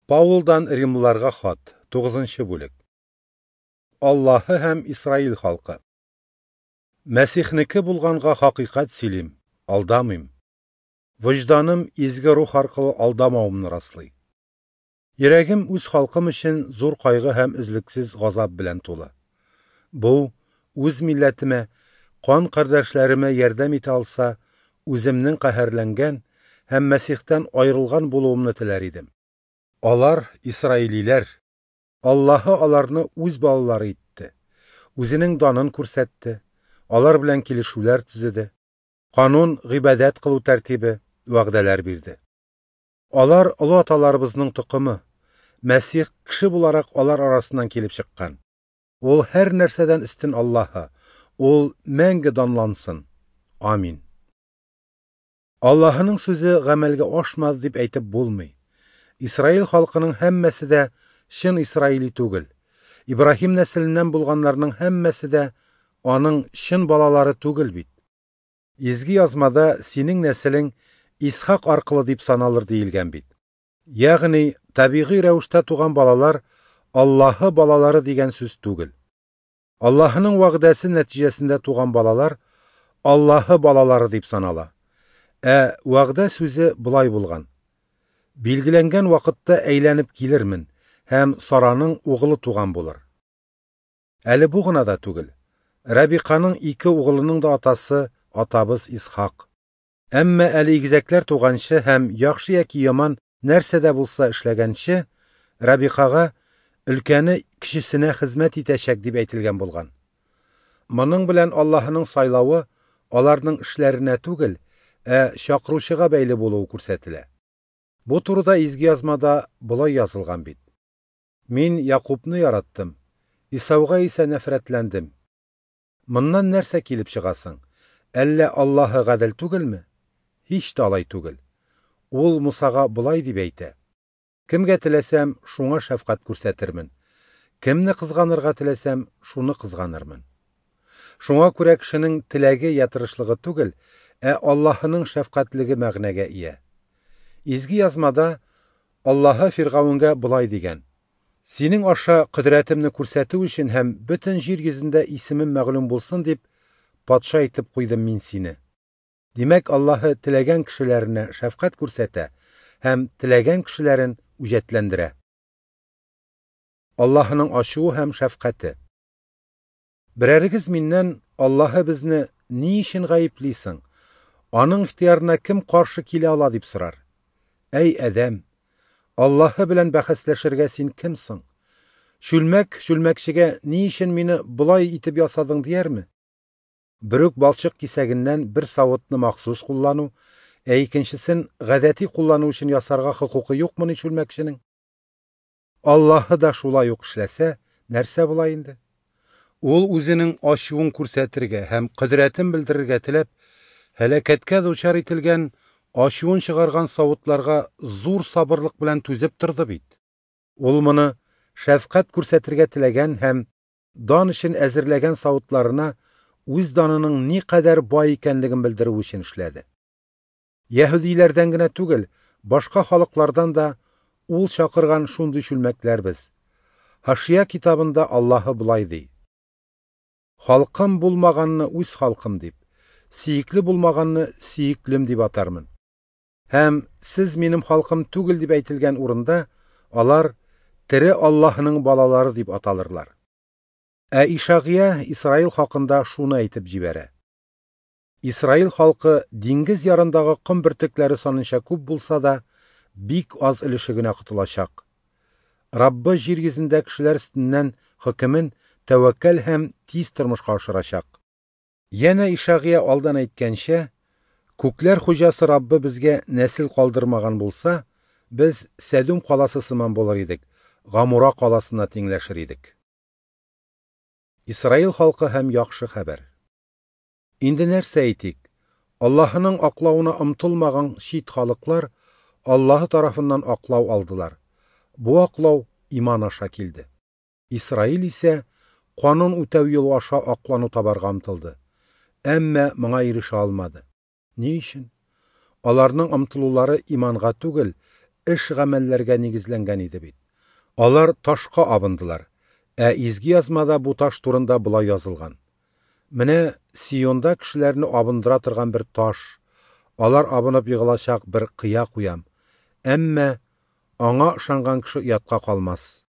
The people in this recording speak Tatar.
Паулдан Римлыларга хат, 9 бүлек. Аллаһы һәм Исраил халкы. Мәсихнеке булганга хакыйкать сөйлим, алдамыйм. Вөҗданым изге рух аркылы алдамавымны раслый. Йөрәгем үз халкым өчен зур кайгы һәм өзлексез газап белән тулы. Бу үз милләтемә, кан кардәшләремә ярдәм итә алса, үземнең каһәрләнгән һәм Мәсихтән аерылган булуымны теләр идем. Алар исраилиләр. Аллаһы аларны үз балалары итте. Үзенең данын күрсәтте, алар белән килешүләр төзеде. Канун, гыйбадәт кылу тәртибе, вәгъдәләр бирде. Алар олы аталарыбызның токымы. Мәсих кеше буларак алар арасыннан килеп чыккан. Ул һәр нәрсәдән өстен Аллаһы. Ул мәңге данлансын. Амин. Аллаһының сүзе гамәлгә ашмады дип әйтеп булмый. Исраил халкының һәммәсе дә чын исраили түгел. Ибраһим нәселеннән булганнарның һәммәсе дә аның чын балалары түгел бит. Изге язмада синең нәселең Исхак аркылы дип саналыр диелгән бит. Ягъни табигый рәвештә туган балалар Аллаһы балалары дигән сүз түгел. Аллаһының вәгъдәсе нәтиҗәсендә туган балалар Аллаһы балалары дип санала. Ә вәгъдә сүзе болай булган: Билгеләнгән вакытта әйләнеп килермен һәм Сараның угылы туган булыр. Әле бу гына да түгел. Рабиқаның ике угылының да атасы атабыз Исхак. Әмма әле игезәкләр туганчы һәм яхшы яки яман нәрсә дә булса эшләгәнче, Рабиқага өлкәне кечесенә хезмәт итәчәк дип әйтелгән булган. Моның белән Аллаһының сайлавы аларның эшләренә түгел, ә чакыручыга бәйле булуы күрсәтелә. Бу турыда изге язмада болай язылган бит. Мин Якубны яраттым, Исауга исә нәфрәтләндем. Моннан нәрсә килеп чыгасың? Әллә Аллаһы гадел түгелме? Һич тә алай түгел. Ул Мусага болай дип әйтә: Кемгә теләсәм, шуңа шәфкать күрсәтермен. Кемне кызганырга теләсәм, шуны кызганырмын. Шуңа күрә кешенең теләге я тырышлыгы түгел, ә Аллаһының шәфкатьлеге мәгънәгә ия. Изге язмада Аллаһы Фиргавенгә болай дигән: Синең аша кодрәтемне күрсәтү өчен һәм бөтен җир йөзендә исемем мәгълүм булсын дип, патша итеп куйдым мин сине. Димәк, Аллаһы теләгән кешеләренә шәфкать күрсәтә һәм теләгән кешеләрен үҗәтләндерә. Аллаһының ачуы һәм шәфкате. Берәрегез миннән Аллаһы безне ни өчен гаеплисең? Аның ихтыярына кем каршы килә ала дип сорар. Әй адәм, Аллаһы белән бәхәсләшергә син кемсең? Чүлмәк чүлмәкчегә ни өчен мине болай итеп ясадың диярме? Берүк балчык кисәгеннән бер савытны махсус куллану, ә икенчесен гадәти куллану өчен ясарга хокукы юкмыни чүлмәкченең? Аллаһы да шулай ук эшләсә, нәрсә була инде? Ул үзенең ачуын күрсәтергә һәм кодрәтен белдерергә теләп, һәлакәткә дучар ителгән ачуын чыгарган савытларга зур сабырлык белән түзеп торды бит. Ул моны шәфкать күрсәтергә теләгән һәм дан өчен әзерләгән савытларына үз данының ни кадәр бай икәнлеген белдерү өчен эшләде. Яһүдиләрдән генә түгел, башка халыклардан да ул чакырган шундый чүлмәкләр без. Һашия китабында Аллаһы болай ди: Халкым булмаганны үз халкым дип, сөекле булмаганны сөеклем дип атармын. Һәм сез минем халкым түгел дип әйтелгән урында алар тере Аллаһының балалары дип аталырлар. Ә Ишагия Исраил хакында шуны әйтеп җибәрә. Исраил халкы диңгез ярындагы ком бөртекләре санынча күп булса да, бик аз өлеше генә котылачак. Раббы җир йөзендә кешеләр өстеннән хөкемен тәвәккәл һәм тиз тормышка ашырачак. Янә Ишагия алдан әйткәнчә, күкләр хуҗасы Раббы безгә нәсел калдырмаган булса, без Сәдүм каласы сыман булыр идек, Гамура каласына тиңләшер идек. Исраил халкы һәм яхшы хәбәр. Инде нәрсә әйтик? Аллаһының аклавына омтылмаган чит халыклар Аллаһы тарафыннан аклау алдылар. Бу аклау иман аша килде. Исраил исә канун үтәү юлы аша аклану табарга омтылды. Әмма моңа ирешә алмады. Ни өчен? Аларның омтылулары иманга түгел, эш-гамәлләргә нигезләнгән иде бит. Алар ташка абындылар, ә Изге Язмада бу таш турында болай язылган: Менә Сионда кешеләрне абындыра торган бер таш, алар абынып егылачак бер кыя куям, әмма Аңа ышанган кеше оятка калмас.